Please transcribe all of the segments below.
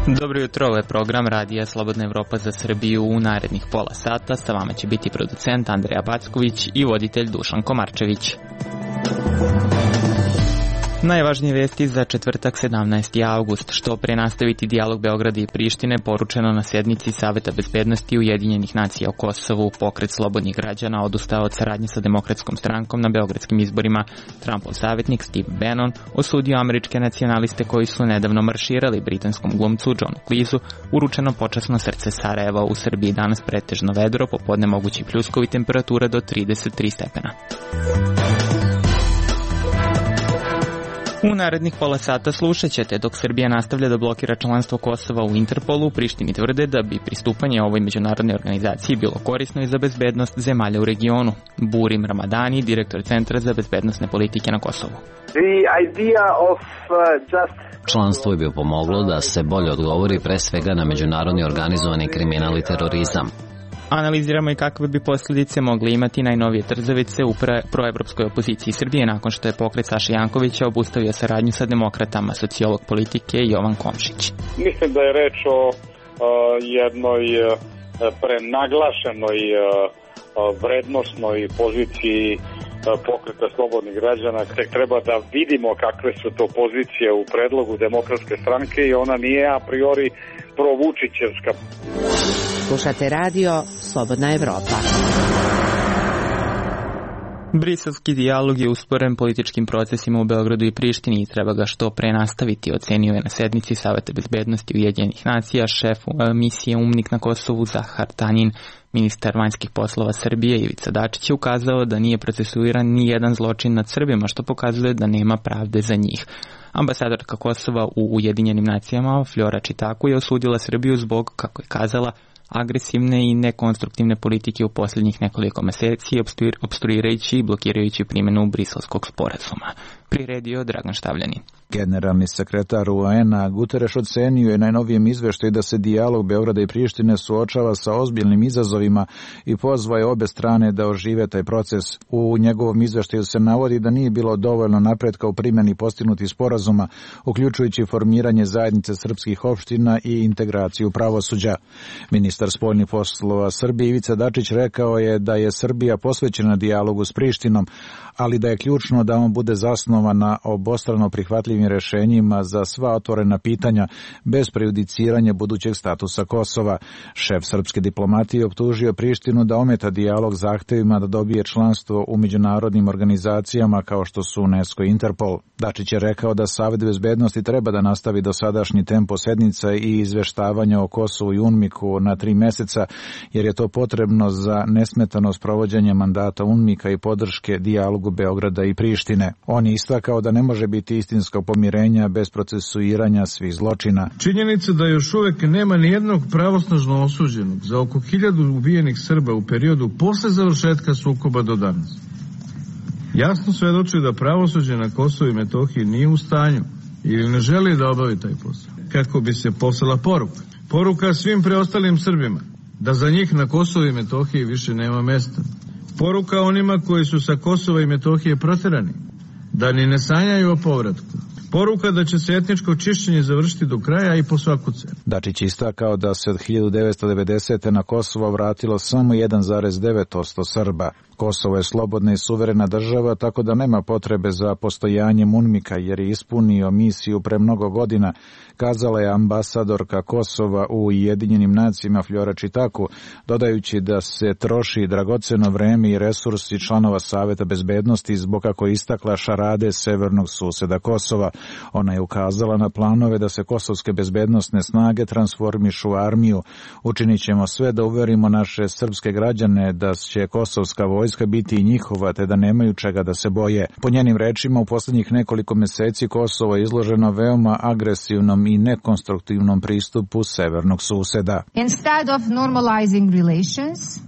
Dobro jutro, ovo je program Radija Slobodna Evropa za Srbiju. U narednih pola sata sa vama će biti producent Andreja Backović i voditelj Dušan Komarčević. Najvažnije vesti za četvrtak 17. avgust. Što pre nastaviti dijalog Beograda i Prištine, poručeno na sednici Saveta bezbednosti Ujedinjenih nacija o Kosovu. Pokret slobodnih građana odustao od saradnje sa Demokratskom strankom na beogradskim izborima. Trumpov savjetnik Steve Bannon osudio američke nacionaliste koji su nedavno marširali britanskom glumcu Johnu Cleeseu. Uručeno počasno srce Sarajeva. U Srbiji danas pretežno vedro, popodne mogući pljuskovi, temperatura do 33 stepena. U narednih pola sata slušat ćete dok Srbija nastavlja da blokira članstvo Kosova u Interpolu. U Prištini tvrde da bi pristupanje ovoj međunarodnoj organizaciji bilo korisno i za bezbednost zemalja u regionu. Burim Ramadani, direktor Centra za bezbednosne politike na Kosovu. Članstvo bi pomoglo da se bolje odgovori pre svega na međunarodni organizovani kriminal i terorizam. Analiziramo i kakve bi posljedice mogli imati najnovije trzavice u proevropskoj opoziciji Srbije nakon što je pokret Saše Jankovića obustavio saradnju sa demokratama, sociolog politike Jovan Komšić. Mislim da je reč o jednoj prenaglašenoj vrednosnoj poziciji pokreta slobodnih građana. Tek treba da vidimo kakve su to pozicije u predlogu Demokratske stranke i ona nije a priori provučićevska. Slušate radio Slobodna Evropa. Briselski dijalog je usporen političkim procesima u Beogradu i Prištini i treba ga što pre nastaviti, ocenio je na sednici Saveta bezbednosti Ujedinjenih nacija šef misije UNMIK na Kosovu Zahar Tanjin. Ministar vanjskih poslova Srbije Ivica Dačić je ukazao da nije procesuiran ni jedan zločin nad Srbima, što pokazuje da nema pravde za njih. Ambasadorka Kosova u Ujedinjenim nacijama Flora Čitaku je osudila Srbiju zbog, kako je kazala, agresivne i nekonstruktivne politike u posljednjih nekoliko meseci, opstruirajući i blokirajući primjenu Briselskog sporazuma. Priredio Dragan Štavljanin. Generalni sekretar UN-a Guterres ocenio je najnovijem izveštaju da se dijalog Beograda i Prištine suočava sa ozbiljnim izazovima i pozvao je obe strane da ožive taj proces. U njegovom izveštaju se navodi da nije bilo dovoljno napretka u primjeni postignutih sporazuma, uključujući formiranje zajednice srpskih opština i integraciju pravosuđa. Ministar spoljnih poslova Srbije Ivica Dačić rekao je da je Srbija posvećena dijalogu s Prištinom, ali da je ključno da on bude zasnovan na obostrano prihvatljivim rešenjima za sva otvorena pitanja bez prejudiciranja budućeg statusa Kosova. Šef srpske diplomatije optužio Prištinu da ometa dijalog zahtevima da dobije članstvo u međunarodnim organizacijama kao što su UNESCO i Interpol. Dačić je rekao da Savet bezbednosti treba da nastavi dosadašnji tempo sednica i izveštavanja o Kosovu i UNMIK-u na 3 meseca, jer je to potrebno za nesmetano sprovođenje mandata UNMIK-a i podrške dijalogu Beograda i Prištine. On je istakao da ne može biti istinsko pomirenja bez procesuiranja svih zločina. Činjenica da još uvek nema ni jednog pravosnažno osuđenog za oko 1000 ubijenih Srba u periodu posle završetka sukoba do danas jasno svedoči da pravosuđe na Kosovu i Metohiji nije u stanju ili ne želi da obavi taj posao. Kako bi se poslala poruka svim preostalim Srbima da za njih na Kosovu i Metohiji više nema mesta. Poruka onima koji su sa Kosova i Metohije proterani da ni ne sanjaju o povratku. Poruka da će se etničko čišćenje završiti do kraja i po svaku cenu. Dačić istakao da se od 1990. na Kosovo vratilo samo 1,9% Srba. Kosovo je slobodna i suverena država, tako da nema potrebe za postojanjem UNMIK-a jer je ispunio misiju pre mnogo godina, kazala je ambasadorka Kosova u Ujedinjenim nacijama Flora Čitaku, dodajući da se troši dragoceno vreme i resursi članova Saveta bezbednosti zbog, kako je istakla, šarade severnog suseda Kosova. Ona je ukazala na planove da se kosovske bezbednosne snage transformišu u armiju. Učinit ćemo sve da uverimo naše srpske građane da će kosovska vojska biti i njihova, te da nemaju čega da se boje. Po njenim rečima, u poslednjih nekoliko meseci Kosovo je izloženo veoma agresivnom i nekonstruktivnom pristupu severnog suseda. Instead of normalizing relations,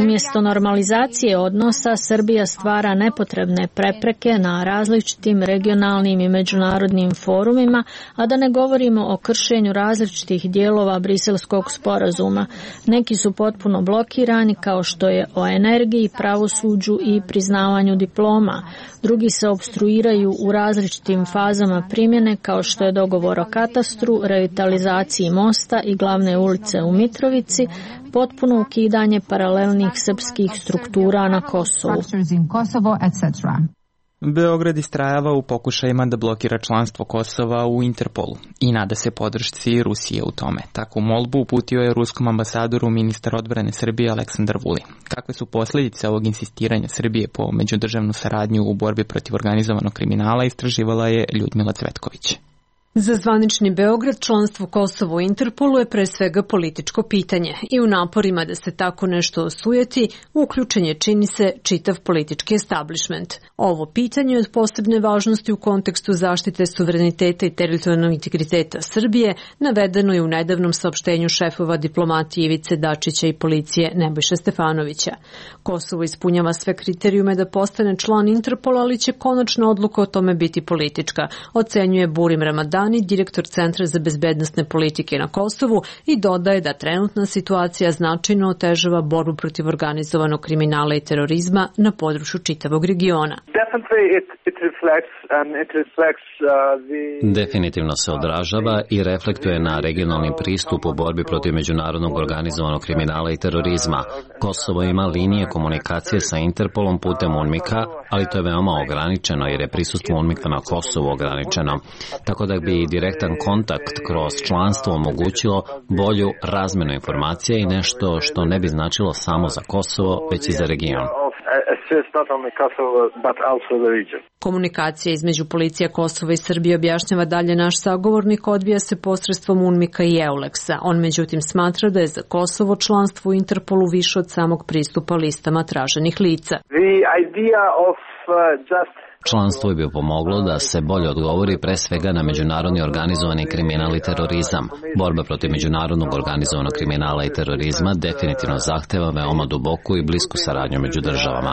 Umjesto normalizacije odnosa, Srbija stvara nepotrebne prepreke na različitim regionalnim i međunarodnim forumima, a da ne govorimo o kršenju različitih dijelova Briselskog sporazuma. Neki su potpuno blokirani, kao što je o energiji, pravosuđu i priznavanju diploma. Drugi se opstruiraju u različitim fazama primjene, kao što je dogovor o katastru, revitalizaciji mosta i glavne ulice u Mitrovici, potpuno ukidanje paralelnih srpskih struktura na Kosovu. Beograd istrajava u pokušajima da blokira članstvo Kosova u Interpolu i nada se podršci Rusije u tome. Takvu molbu uputio je ruskom ambasadoru ministar odbrane Srbije Aleksandar Vulin. Kakve su posljedice ovog insistiranja Srbije po međudržavnu saradnju u borbi protiv organizovanog kriminala, istraživala je Ljudmila Cvetković. Za zvanični Beograd članstvo Kosova u Interpolu je pre svega političko pitanje i u naporima da se tako nešto osujeti uključen je, čini se, čitav politički establishment. Ovo pitanje je od posebne važnosti u kontekstu zaštite suvereniteta i teritorijalnog integriteta Srbije, navedeno je u nedavnom saopštenju šefova diplomatije Ivice Dačića i policije Nebojše Stefanovića. Kosovo ispunjava sve kriterijume da postane član Interpola, ali će konačna odluka o tome biti politička, ocenjuje Burim Ramadan, direktor Centra za bezbednosne politike na Kosovu, i dodaje da trenutna situacija značajno otežava borbu protiv organizovanog kriminala i terorizma na području čitavog regiona. Definitivno se odražava i reflektuje na regionalni pristup u borbi protiv međunarodnog organizovanog kriminala i terorizma. Kosovo ima linije komunikacije sa Interpolom putem UNMIK-a, ali to je veoma ograničeno jer je prisustvo UNMIK-a na Kosovu ograničeno. Tako da bi direktan kontakt kroz članstvo omogućilo bolju razmenu informacija i nešto što ne bi značilo samo za Kosovo, već i za region. Komunikacija između policija Kosova i Srbije, objašnjava dalje naš sagovornik, odvija se posredstvom UNMIK-a i EULEX-a. On međutim smatra da je za Kosovo članstvo u Interpolu više od samog pristupa listama traženih lica. Članstvo bi pomoglo da se bolje odgovori pre svega na međunarodni organizovani kriminal i terorizam. Borba protiv međunarodnog organizovanog kriminala i terorizma definitivno zahteva veoma duboku i blisku saradnju među državama.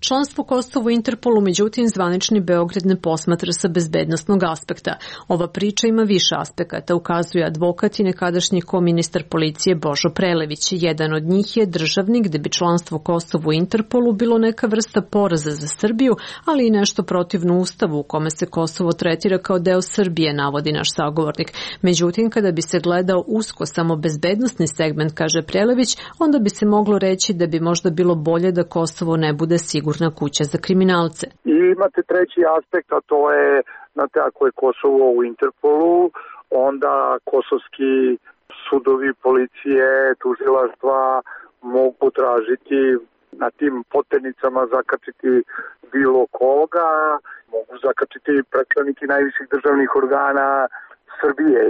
Članstvo Kosova u Interpolu, međutim, zvanični Beograd ne posmatra sa bezbednosnog aspekta. Ova priča ima više aspekata, ukazuje advokat i nekadašnji koministar policije Božo Prelević. Jedan od njih je državnik, gde bi članstvo Kosova u Interpolu bilo neka vrsta poraza za Srbiju, ali i nešto protivno Ustavu u kome se Kosovo tretira kao deo Srbije, navodi naš sagovornik. Međutim, kada bi se gledao usko samo bezbednosni segment, kaže Prelević, onda bi se moglo reći da bi možda bilo bolje da Kosovo ne bude sigurna kuća za kriminalce. I imate treći aspekt, a to je, znate, ako je Kosovo u Interpolu, onda kosovski sudovi, policije, tužilaštva mogu tražiti na tim poternicama zakačiti bilo koga, mogu zakačiti predstavniki najviših državnih organa Srbije,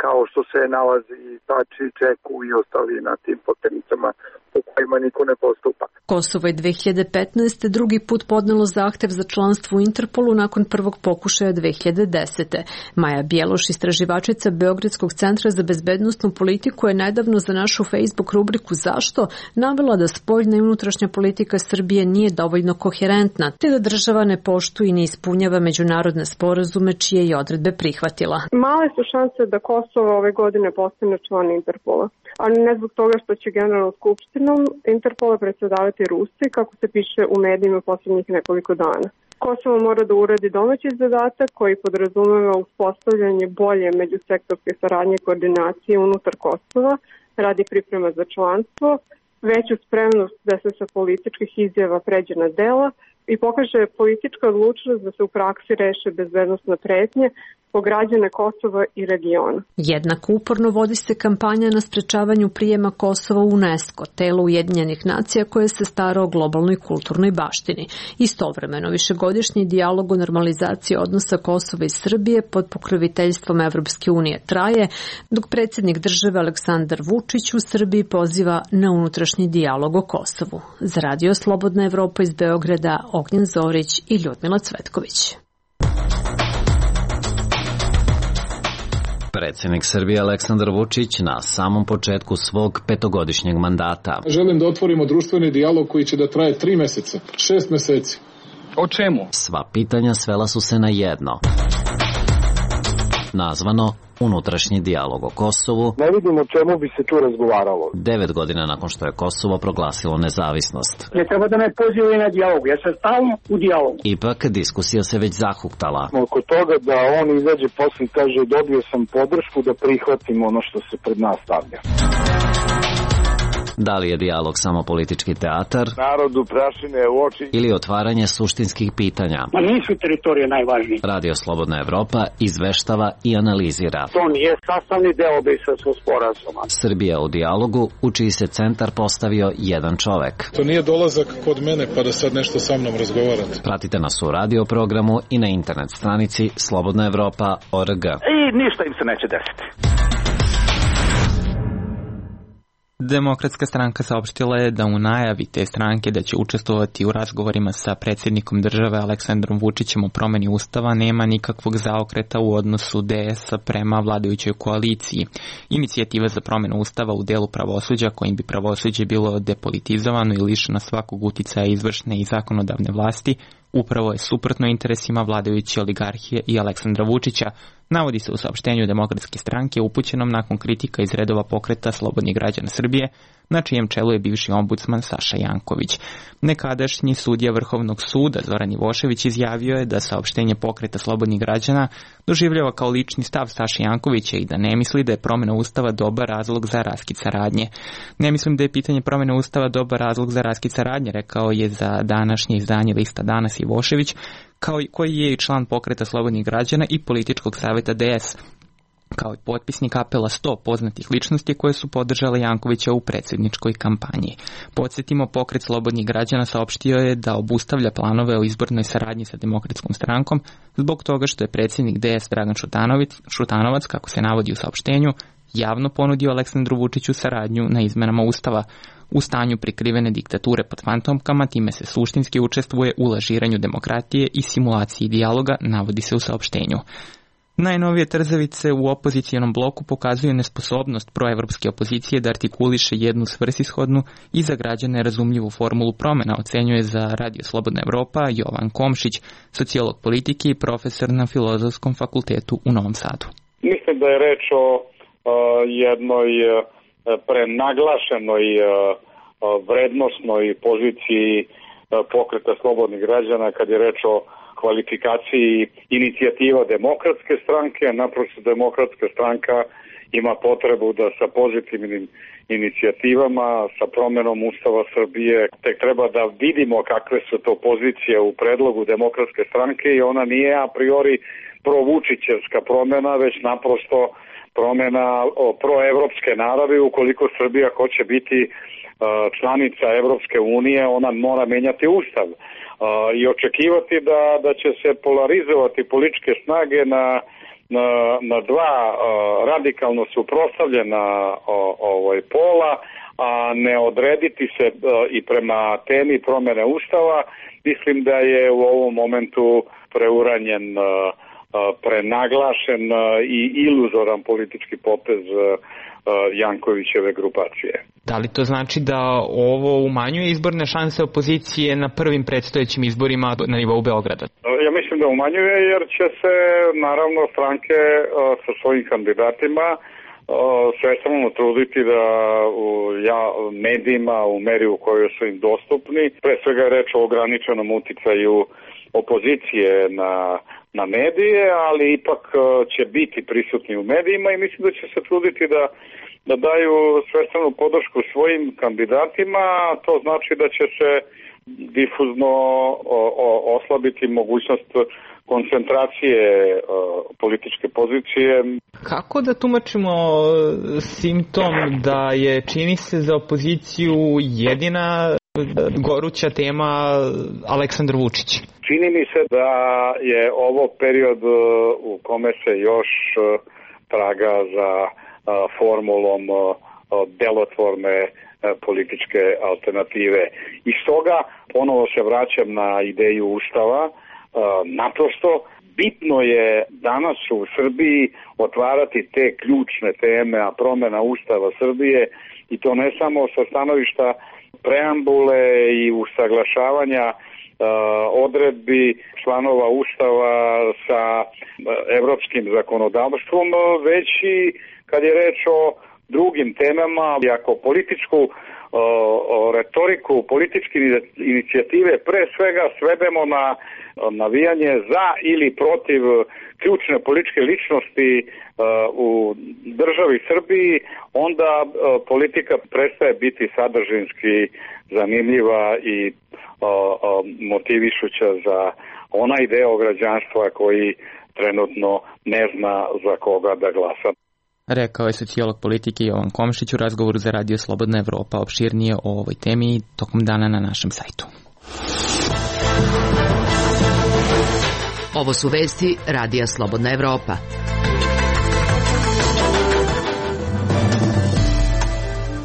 kao što se nalazi Tači, Čeku i ostali na tim poternicama po kojima niko ne postupa. Kosovo je 2015. drugi put podnelo zahtev za članstvo u Interpolu nakon prvog pokušaja 2010. Maja Bjeloš, istraživačica Beogradskog centra za bezbednosnu politiku, je nedavno za našu Facebook rubriku Zašto navela da spoljna i unutrašnja politika Srbije nije dovoljno koherentna, te da država ne poštuje i ne ispunjava međunarodne sporazume čije je odredbe prihvatila. Male su šanse da Kosovo ove godine postane član Interpola, ali ne zbog toga što će Generalnom skupštinom Interpola predsedavati Rusi, kako se piše u medijima posljednjih nekoliko dana. Kosovo mora da uradi domaći zadatak koji podrazumeva uspostavljanje bolje međusektorske saradnje i koordinacije unutar Kosova radi priprema za članstvo, veću spremnost da se sa političkih izjava pređe na dela i pokaže politička odlučnost da se u praksi reše bezbednosne pretnje po građane Kosova i regiona. Jednako uporno vodi se kampanja na sprečavanju prijema Kosova u UNESCO, telo Ujedinjenih nacija koje se stara o globalnoj kulturnoj baštini. Istovremeno, višegodišnji dijalog o normalizaciji odnosa Kosova i Srbije pod pokroviteljstvom Evropske unije traje, dok predsjednik države Aleksandar Vučić u Srbiji poziva na unutrašnji dijalog o Kosovu. Za Radio Slobodna Evropa iz Beograda, Ognjen Zorić i Ljudmila Cvetković. Predsjednik Srbije Aleksandar Vučić na samom početku svog petogodišnjeg mandata. Želim da otvorimo društveni dijalog koji će da traje 3 meseca, 6 meseci. O čemu? Sva pitanja svela su se na jedno. Nazvano unutrašnji dijalog o Kosovu. Ne vidimo čemu bi se tu razgovaralo. 9 godina nakon što je Kosovo proglasilo nezavisnost. Ne treba da me pozivaju na dijalog, ja sam stalno u dijalogu. Ipak diskusija se već zahuktala. Oko toga da on izađe posle i kaže dobio sam podršku da prihvatim ono što se pred nas stavlja. Da li je dijalog samo politički teatar? Narodu prašine u oči. Ili otvaranje suštinskih pitanja? Ma nisu teritorije najvažnije. Radio Slobodna Evropa izveštava i analizira. To nije sastavni deo Briselskog sporazuma. Srbija u dijalogu, u čiji se centar postavio jedan čovek. To nije dolazak kod mene pa da sad nešto sa mnom razgovarate. Pratite nas u radio programu i na internet stranici slobodnaevropa.org. I ništa im se neće desiti. Demokratska stranka saopštila je da u najavi te stranke da će učestvovati u razgovorima sa predsjednikom države Aleksandrom Vučićem o promeni ustava nema nikakvog zaokreta u odnosu DS-a prema vladajućoj koaliciji. Inicijativa za promjenu ustava u delu pravosuđa, kojim bi pravosuđe bilo depolitizovano i lišeno svakog uticaja izvršne i zakonodavne vlasti, upravo je suprotno interesima vladajuće oligarhije i Aleksandra Vučića, navodi se u saopštenju Demokratske stranke upućenom nakon kritika iz redova pokreta Slobodnih građana Srbije, na čijem čelu je bivši ombudsman Saša Janković. Nekadašnji sudija Vrhovnog suda Zoran Ivošević izjavio je da saopštenje pokreta Slobodnih građana doživljava kao lični stav Saša Jankovića i da ne misli da je promjena ustava dobar razlog za raskid saradnje. Ne mislim da je pitanje promjene ustava dobar razlog za raskid saradnje, rekao je za današnje izdanje Lista Danas Ivošević, koji je i član pokreta Slobodnih građana i političkog savjeta DS, kao i potpisnik apela 100 poznatih ličnosti koje su podržale Jankovića u predsjedničkoj kampanji. Podsjetimo, pokret Slobodnih građana saopštio je da obustavlja planove o izbornoj saradnji sa Demokratskom strankom zbog toga što je predsjednik DS Dragan Šutanovac, kako se navodi u saopštenju, javno ponudio Aleksandru Vučiću saradnju na izmenama ustava. U stanju prikrivene diktature pod fantomkama time se suštinski učestvuje u lažiranju demokratije i simulaciji dijaloga, navodi se u saopštenju. Najnovije trzavice u opozicijonom bloku pokazuju nesposobnost proevropske opozicije da artikuliše jednu svrsishodnu i za građane razumljivu formulu promjena, ocenjuje za Radio Slobodna Evropa Jovan Komšić, sociolog politike i profesor na Filozofskom fakultetu u Novom Sadu. Mislim da je reč o jednoj prenaglašenoj vrednosnoj poziciji pokreta Slobodnih građana kad je reč o kvalifikaciji inicijativa Demokratske stranke. Naprosto Demokratska stranka ima potrebu da sa pozitivnim inicijativama, sa promjenom Ustava Srbije, tek treba da vidimo kakve su to pozicije u predlogu Demokratske stranke i ona nije a priori provučićevska promjena, već naprosto promjena proevropske naravi. Ukoliko Srbija hoće biti članica Evropske unije, ona mora menjati Ustav i očekivati da će se polarizovati političke snage na dva radikalno suprotstavljena pola, a ne odrediti se i prema temi promjene Ustava. Mislim da je u ovom momentu preuranjen, prenaglašen i iluzoran politički potez Jankovićeve grupacije. Da li to znači da ovo umanjuje izborne šanse opozicije na prvim predstojećim izborima na nivou Beograda? Ja mislim da umanjuje jer će se naravno stranke sa svojim kandidatima svestrano truditi da u medijima u meri u kojoj su im dostupni, pre svega je reč o ograničenom uticaju opozicije na medije, ali ipak će biti prisutni u medijima i mislim da će se truditi da daju svestranu podršku svojim kandidatima. To znači da će se difuzno oslabiti mogućnost koncentracije političke pozicije. Kako da tumačimo simptom da je, čini se, za opoziciju jedina goruća tema Aleksandar Vučić? Čini mi se da je ovo period u kome se još traga za formulom delotvorne političke alternative. I stoga ponovo se vraćam na ideju Ustava. Naprosto bitno je danas u Srbiji otvarati te ključne teme, a promjena Ustava Srbije, i to ne samo sa stanovišta preambule i usaglašavanja odredbi članova Ustava sa evropskim zakonodavstvom, već i kad je reč o drugim temama. Ako političku retoriku, političke inicijative pre svega svedemo na navijanje za ili protiv ključne političke ličnosti u državi Srbiji, onda politika prestaje biti sadržinski zanimljiva i motivišuća za onaj deo građanstva koji trenutno ne zna za koga da glasa. Rekao je sociolog politike Jovan Komšić u razgovoru za Radio Slobodna Evropa. Opširnije o ovoj temi tokom dana na našem sajtu. Ovo su vesti Radija Slobodna Evropa.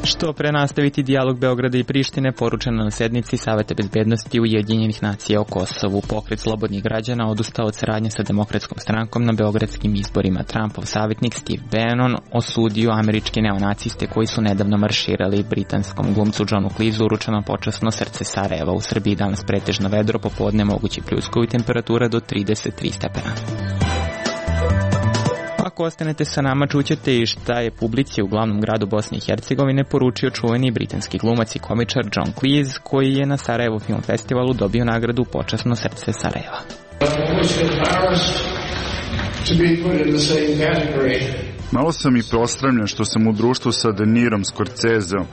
Što pre nastaviti dijalog Beograda i Prištine, poručeno na sednici Saveta bezbednosti Ujedinjenih nacija o Kosovu. Pokret slobodnih građana odustao od saradnje sa Demokratskom strankom na beogradskim izborima. Trumpov savjetnik Steve Bannon osudio američke neonaciste koji su nedavno marširali. Britanskom glumcu Johnu Cleeseu uručeno počasno srce Sarajeva. U Srbiji danas pretežno vedro, popodne mogući pljuskovi, temperatura do 33 stepena. Ako ostanete sa nama, čućete i šta je publici u glavnom gradu Bosne i Hercegovine poručio čuveni britanski glumac i komičar John Cleese, koji je na Sarajevo Film Festivalu dobio nagradu Počasno srce Sarajeva. Malo sam i posramljen što sam u društvu sa De Nirom Scorseseom,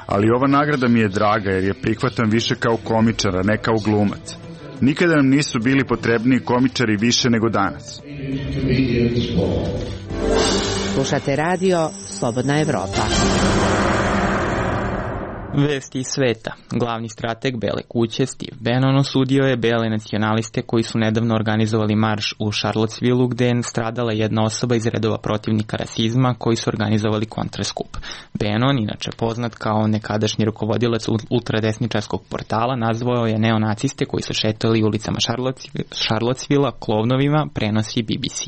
ali ova nagrada mi je draga jer je prihvatam više kao komičara, ne kao glumac. Nikada nam nisu bili potrebniji komičari više nego danas. Slušate radio Slobodna Evropa. Vesti iz sveta. Glavni strateg Bele kuće Steve Bannon osudio je bele nacionaliste koji su nedavno organizovali marš u Charlottesvilleu gde je stradala jedna osoba iz redova protivnika rasizma koji su organizovali kontraskup. Bannon, inače poznat kao nekadašnji rukovodilac ultradesničarskog portala, nazvao je neonaciste koji su šetali ulicama Charlottesvillea klovnovima, prenosi BBC.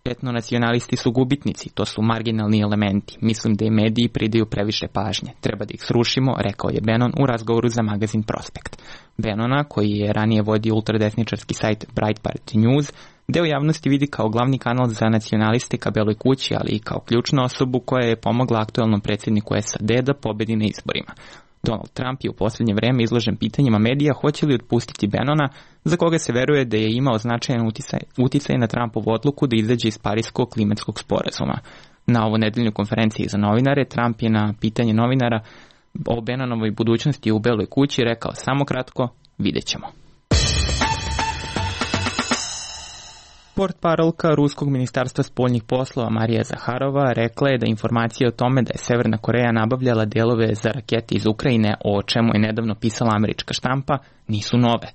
Etnonacionalisti su gubitnici, to su marginalni elementi. Mislim da i mediji pridaju previše pažnje. Treba da ih srušimo, rekao je Bannon u razgovoru za magazin Prospekt. Bannona, koji je ranije vodio ultradesničarski sajt Breitbart News, deo javnosti vidi kao glavni kanal za nacionaliste ka Beloj kući, ali i kao ključnu osobu koja je pomogla aktuelnom predsjedniku SAD da pobedi na izborima. Donald Trump je u posljednje vreme izložen pitanjima medija hoće li otpustiti Bannona, za koga se veruje da je imao značajan uticaj na Trumpovu odluku da izađe iz Pariskog klimatskog sporazuma. Na ovu nedeljnoj konferenciji za novinare, Trump je na pitanje novinara o Bannonovoj budućnosti u Beloj kući rekao samo kratko, vidjet ćemo. Portparolka Ruskog ministarstva spoljnih poslova Marija Zaharova rekla je da informacije o tome da je Severna Koreja nabavljala delove za rakete iz Ukrajine, o čemu je nedavno pisala američka štampa, nisu nove.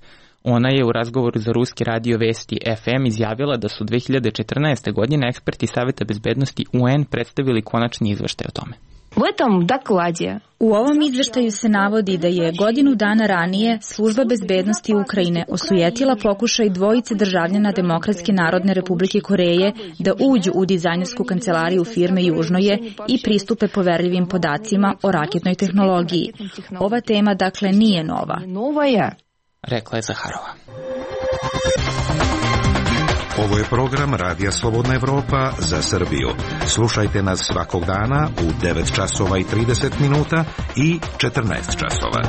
Ona je u razgovoru za ruski radio Vesti FM izjavila da su 2014. godine eksperti Saveta bezbednosti UN predstavili konačni izveštaj o tome. U ovom izveštaju se navodi da je godinu dana ranije Služba bezbednosti Ukrajine osujetila pokušaj dvojice državljana Demokratske narodne republike Koreje da uđu u dizajnersku kancelariju firme Južnoje i pristupe poverljivim podacima o raketnoj tehnologiji. Ova tema dakle nije nova. Rekla je Zaharova. Ovo je program Radija Slobodna Evropa za Srbiju. Slušajte nas svakog dana u 9 časova i 30 minuta i 14 časova.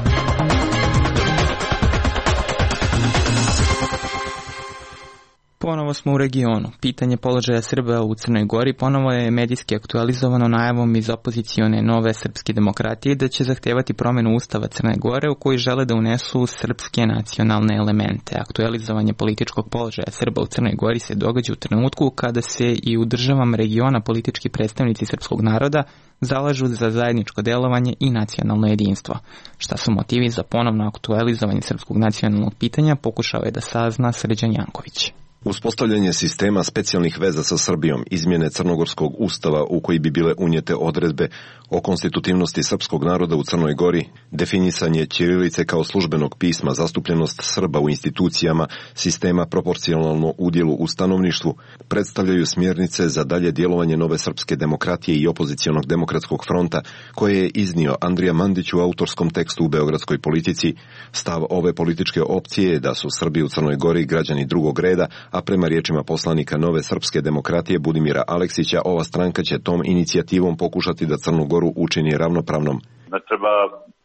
Ponovo smo u regionu. Pitanje položaja Srba u Crnoj Gori ponovo je medijski aktualizovano najavom iz opozicione Nove srpske demokratije da će zahtevati promjenu Ustava Crne Gore u koji žele da unesu srpske nacionalne elemente. Aktualizovanje političkog položaja Srba u Crnoj Gori se događa u trenutku kada se i u državama regiona politički predstavnici srpskog naroda zalažu za zajedničko delovanje i nacionalno jedinstvo. Šta su motivi za ponovno aktualizovanje srpskog nacionalnog pitanja pokušao je da sazna Srđan Janković. Uspostavljanje sistema specijalnih veza sa Srbijom, izmjene Crnogorskog ustava u koji bi bile unijete odredbe o konstitutivnosti srpskog naroda u Crnoj Gori, definisanje ćirilice kao službenog pisma, zastupljenost Srba u institucijama, sistema proporcionalno udjelu u stanovništvu, predstavljaju smjernice za dalje djelovanje nove srpske demokratije i opozicionog demokratskog fronta, koje je iznio Andrija Mandić u autorskom tekstu u Beogradskoj politici. Stav ove političke opcije je da su Srbi u Crnoj Gori građani drugog reda, a prema riječima poslanika Nove srpske demokratije Budimira Aleksića, ova stranka će tom inicijativom pokušati da Crnu Goru učini ravnopravnom. Ne treba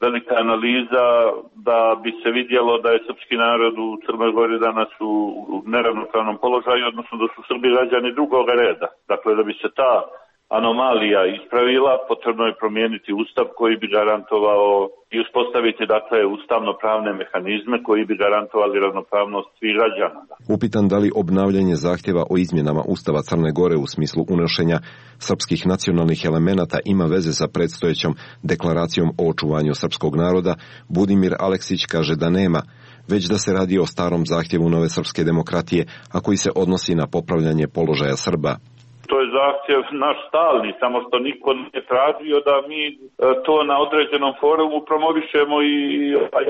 velika analiza da bi se vidjelo da je srpski narod u Crnoj Gori danas u neravnopravnom položaju, odnosno da su Srbi građani drugog reda. Dakle, da bi se ta anomalija ispravila, potrebno je promijeniti ustav koji bi garantovao i uspostaviti, dakle, ustavno-pravne mehanizme koji bi garantovali ravnopravnost svih građana. Upitan da li obnavljanje zahtjeva o izmjenama ustava Crne Gore u smislu unošenja srpskih nacionalnih elemenata ima veze sa predstojećom deklaracijom o očuvanju srpskog naroda, Budimir Aleksić kaže da nema, već da se radi o starom zahtjevu Nove srpske demokratije, a koji se odnosi na popravljanje položaja Srba. To je zahtjev naš stalni, samo što niko nije tražio da mi to na određenom forumu promovišemo i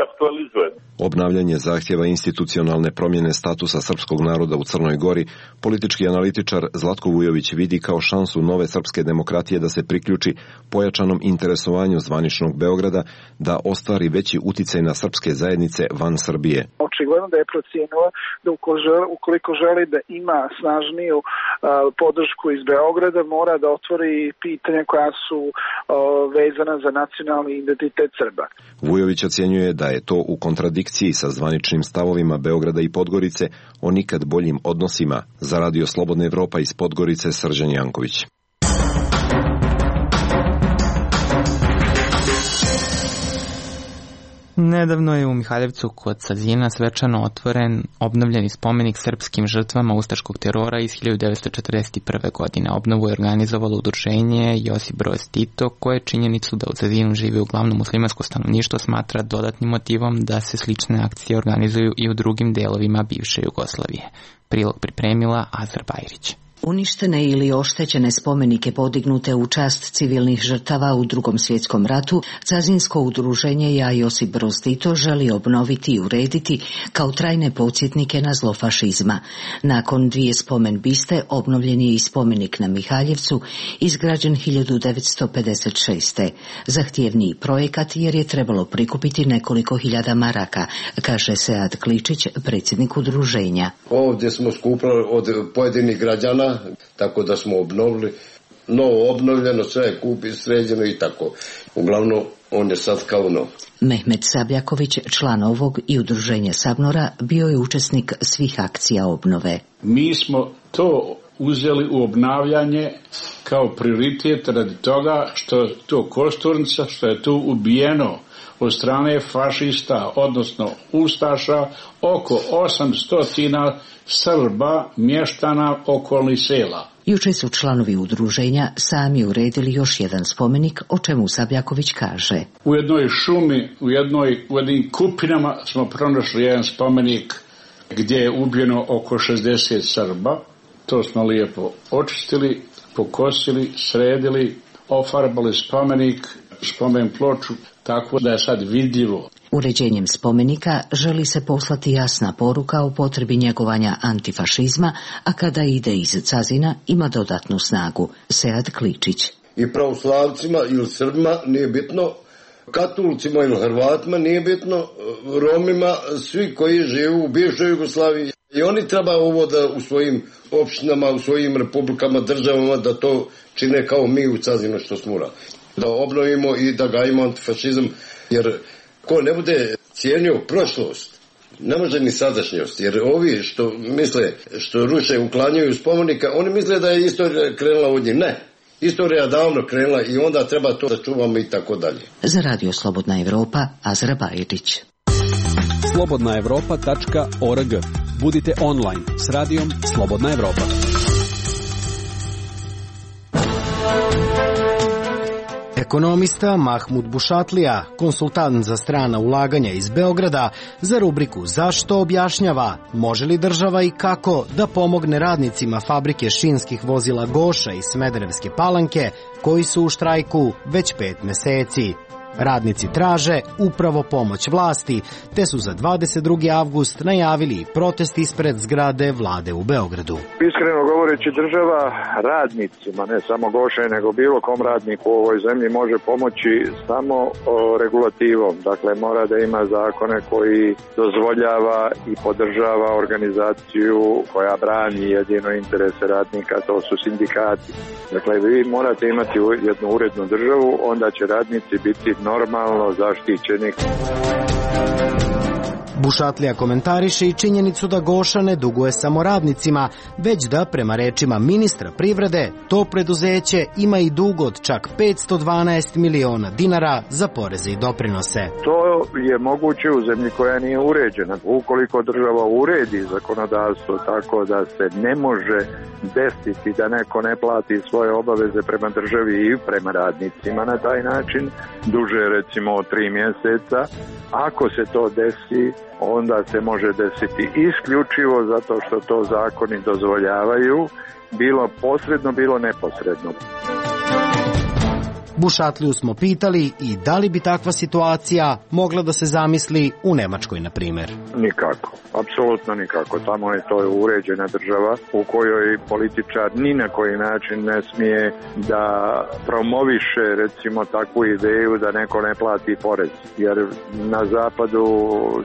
aktualizujemo. Obnavljanje zahtjeva institucionalne promjene statusa srpskog naroda u Crnoj Gori, politički analitičar Zlatko Vujović vidi kao šansu Nove srpske demokratije da se priključi pojačanom interesovanju zvaničnog Beograda da ostvari veći uticaj na srpske zajednice van Srbije. Očigledno da je procijenila da ukoliko želi da ima snažniju podršku iz Beograda, mora da otvori pitanja koja su vezana za nacionalni identitet Srba. Vujović ocjenjuje da je to u kontradikciji sa zvaničnim stavovima Beograda i Podgorice o nikad boljim odnosima. Za Radio Slobodna Evropa iz Podgorice, Srđan Janković. Nedavno je u Mihaljevcu kod Sazina svečano otvoren obnovljeni spomenik srpskim žrtvama ustaškog terora iz 1941. godine. Obnovu je organizovalo udruženje Josip Broz Tito, koje činjenicu da u Sazinu živi uglavnom muslimansko stanovništvo smatra dodatnim motivom da se slične akcije organizuju i u drugim delovima bivše Jugoslavije. Prilog pripremila Azra Bajrić. Uništene ili oštećene spomenike podignute u čast civilnih žrtava u Drugom svjetskom ratu, Cazinsko udruženje Ja Josip Broz Tito želi obnoviti i urediti kao trajne podsjetnike na zlo fašizma. Nakon 2 spomen biste obnovljen je i spomenik na Mihaljevcu, izgrađen 1956. Zahtjevniji projekat jer je trebalo prikupiti nekoliko hiljada maraka, kaže Sead Kličić, predsjednik udruženja. Ovdje smo skupili od pojedinih građana, tako da smo obnovili, novo obnovljeno, sve je sređeno i tako. Uglavnom, on je sad kao nov. Mehmet Sabljaković, član ovog i udruženja Sabnora, bio je učesnik svih akcija obnove. Mi smo to uzeli u obnavljanje kao prioritet radi toga što to Kosturnica, što je tu ubijeno od strane fašista, odnosno ustaša, oko 800 Srba, mještana okolnih sela. Juče su članovi udruženja sami uredili još jedan spomenik, o čemu Sabljaković kaže. U jednoj šumi, u jednim kupinama smo pronašli jedan spomenik gdje je ubijeno oko 60 Srba. To smo lijepo očistili, pokosili, sredili, ofarbali spomenik, spomen ploču, tako da je sad vidljivo. Uređenjem spomenika želi se poslati jasna poruka o potrebi njegovanja antifašizma, a kada ide iz Cazina ima dodatnu snagu. Sead Kličić. I pravoslavcima ili Srbima nije bitno, Katolicima ili Hrvatima nije bitno, Romima, svi koji žive u bivšoj Jugoslaviji. I oni treba ovo da u svojim opštinama, u svojim republikama, državama da to čine kao mi u Cazinu što smo uradili. Da obnovimo i da gajimo antifašizam, jer ko ne bude cijenio prošlost, ne može ni sadašnjost, jer ovi što misle, što ruše, uklanjaju spomenika, oni misle da je istorija krenula od njih. Ne, istorija davno krenula i onda treba to da čuvamo i tako dalje. Za Radio Slobodna Evropa, Azra Bajrić. slobodnaevropa.org. Budite online s radijom Slobodna Evropa. Ekonomista Mahmud Bušatlija, konsultant za strana ulaganja iz Beograda, za rubriku Zašto objašnjava može li država i kako da pomogne radnicima fabrike šinskih vozila Goša iz Smederevske Palanke koji su u štrajku već 5 meseci. Radnici traže upravo pomoć vlasti, te su za 22. avgust najavili protest ispred zgrade vlade u Beogradu. Iskreno govoreći, država radnicima, ne samo Goše, nego bilo kom radniku u ovoj zemlji može pomoći samo regulativom. Dakle, mora da ima zakone koji dozvoljava i podržava organizaciju koja brani jedino interese radnika, to su sindikati. Dakle, vi morate imati jednu urednu državu, onda će radnici biti normalno zaštićeni. Bušatlija komentariše i činjenicu da Goša ne duguje samo radnicima, već da, prema rečima ministra privrede, to preduzeće ima i dug od čak 512 miliona dinara za poreze i doprinose. To je moguće u zemlji koja nije uređena. Ukoliko država uredi zakonodavstvo tako da se ne može desiti da neko ne plati svoje obaveze prema državi i prema radnicima na taj način, duže recimo 3 mjeseca, ako se to desi, onda se može desiti isključivo zato što to zakoni dozvoljavaju, bilo posredno, bilo neposredno. Bušatliju smo pitali i da li bi takva situacija mogla da se zamisli u Nemačkoj, na primjer. Nikako, apsolutno nikako. Tamo je to uređena država u kojoj političar ni na koji način ne smije da promoviše recimo takvu ideju da neko ne plati porez. Jer na zapadu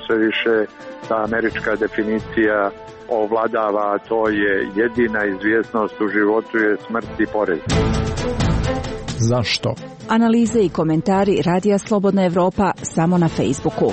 sve više ta američka definicija ovladava, a to je jedina izvjesnost u životu je smrt i porez. Zašto? Analize i komentari Radija Slobodna Evropa samo na Facebooku.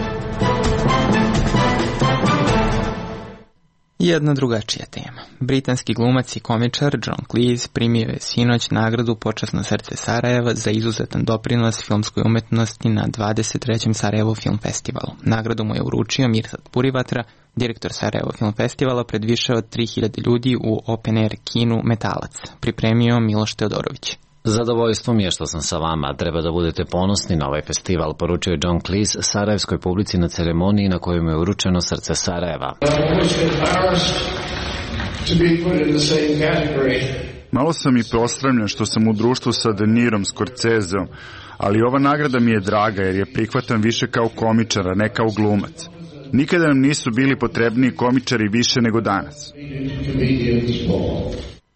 Jedna drugačija tema. Britanski glumac i komičar John Cleese primio je sinoć nagradu Počasno srce Sarajeva za izuzetan doprinos filmskoj umetnosti na 23. Sarajevo Film Festivalu. Nagradu mu je uručio Mirsad Purivatra, direktor Sarajevo Film Festivala, pred više od 3000 ljudi u open air kinu Metalac. Pripremio Miloš Teodorović. Zadovoljstvo mi je što sam sa vama, treba da budete ponosni na ovaj festival, poručio je John Cleese sarajevskoj publici na ceremoniji na kojoj mu je uručeno srce Sarajeva. Malo sam i posramljen što sam u društvu sa Denirom Scorseseom, ali ova nagrada mi je draga jer je prihvatam više kao komičara, ne kao glumac. Nikada nam nisu bili potrebniji komičari više nego danas.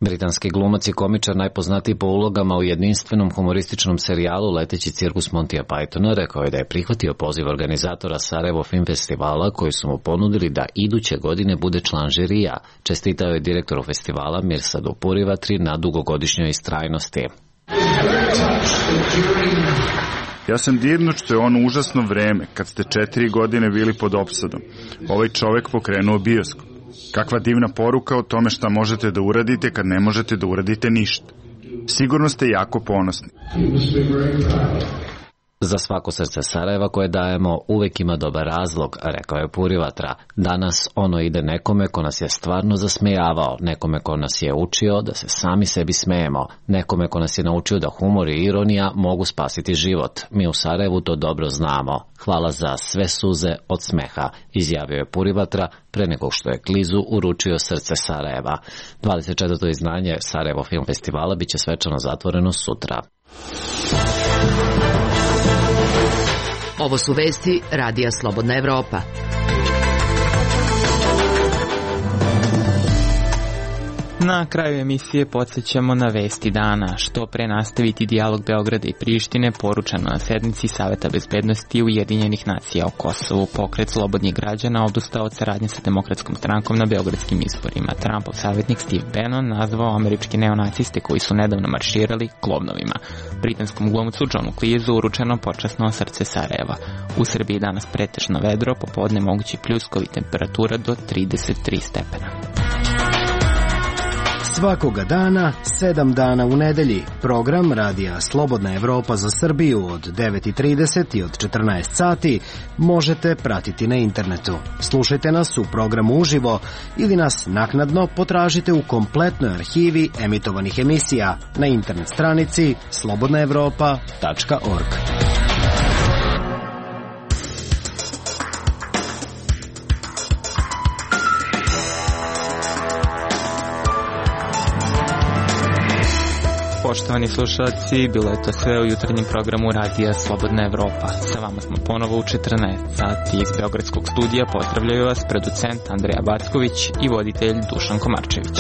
Britanski glumac i komičar, najpoznatiji po ulogama u jedinstvenom humorističnom serijalu Leteći cirkus Montija Pythona, rekao je da je prihvatio poziv organizatora Sarajevo Film Festivala koji su mu ponudili da iduće godine bude član žirija. Čestitao je direktoru festivala Mirsadu Purivatri na dugogodišnjoj istrajnosti. Ja sam dirnut što je ono užasno vreme, kad ste 4 godine bili pod opsadom. Ovaj čovek pokrenuo bioskop. Kakva divna poruka o tome šta možete da uradite kad ne možete da uradite ništa. Sigurno ste jako ponosni. Za svako srce Sarajeva koje dajemo uvek ima dobar razlog, rekao je Purivatra. Danas ono ide nekome ko nas je stvarno zasmejavao, nekome ko nas je učio da se sami sebi smejemo, nekome ko nas je naučio da humor i ironija mogu spasiti život. Mi u Sarajevu to dobro znamo. Hvala za sve suze od smeha, izjavio je Purivatra pre nego što je Klizu uručio srce Sarajeva. 24. izdanje Sarajevo Film Festivala biće svečano zatvoreno sutra. Ovo su vesti Radija Slobodna Evropa. Na kraju emisije podsjećamo na vesti dana. Što pre nastaviti dijalog Beograda i Prištine, poručeno na sednici Saveta bezbednosti Ujedinjenih nacija o Kosovu. Pokret slobodnih građana odustao od saradnje sa Demokratskom strankom na beogradskim izborima. Trumpov savjetnik Steve Bannon nazvao američke neonaciste koji su nedavno marširali klovnovima. Britanskom glumcu Johnu Cleeseu uručeno počasno srce Sarajeva. U Srbiji danas pretežno vedro, popodne mogući pljuskovi, temperatura do 33 stepena. Svakoga dana, 7 dana u nedelji, program Radija Slobodna Evropa za Srbiju od 9:30 i od 14 sati možete pratiti na internetu. Slušajte nas u programu uživo ili nas naknadno potražite u kompletnoj arhivi emitovanih emisija na internet stranici slobodnaevropa.org. Poštovani slušalci, bilo je to sve u jutarnjem programu Radija Slobodna Evropa. Sa vama smo ponovo u 14 sati. Iz Beogradskog studija pozdravljaju vas producent Andreja Backović i voditelj Dušan Komarčević.